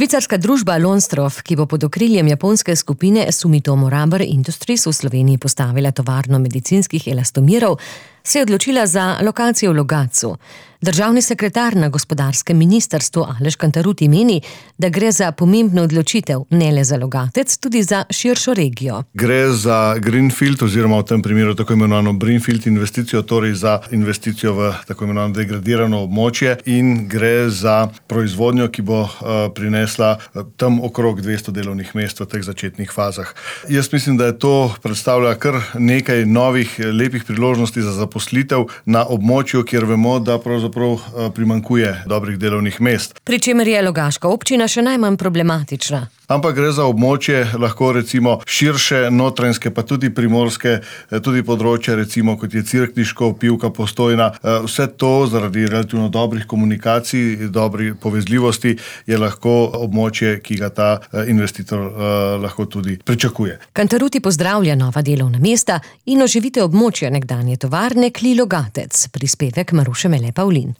Švicarska družba Lonstroff, ki bo pod okriljem japonske skupine Sumitomo Rubber Industries v Sloveniji postavila tovarno medicinskih elastomerov, se je odločila za lokacijo v Logatcu. Državni sekretar na gospodarskem ministrstvu Aleš Cantarutti meni, da gre za pomembno odločitev, ne le za Logatec, tudi za širšo regijo. Gre za greenfield oziroma v tem primeru tako imenovano greenfield investicijo, torej za investicijo v tako imenovano degradirano območje in gre za proizvodnjo, ki bo prinesla tam okrog 200 delovnih mest v teh začetnih fazah. Jaz mislim, da je to predstavlja kar nekaj novih lepih priložnosti za zaposlitev na območju, kjer vemo, da pravzaprav primanjkuje dobrih delovnih mest. Pri čemer je Logaška občina še najmanj problematična. Ampak gre za območje, lahko recimo širše, notranjske, pa tudi primorske, tudi področje recimo kot je Cerkniško, Pivka, Postojna. Vse to zaradi relativno dobrih komunikacij, dobrih povezljivosti je lahko območje, ki ga ta investitor lahko tudi pričakuje. Cantarutti pozdravlja nova delovna mesta in oživitev območja nekdanje tovarne Kli Logatec. Prispevek Maruše Mele Pavlin.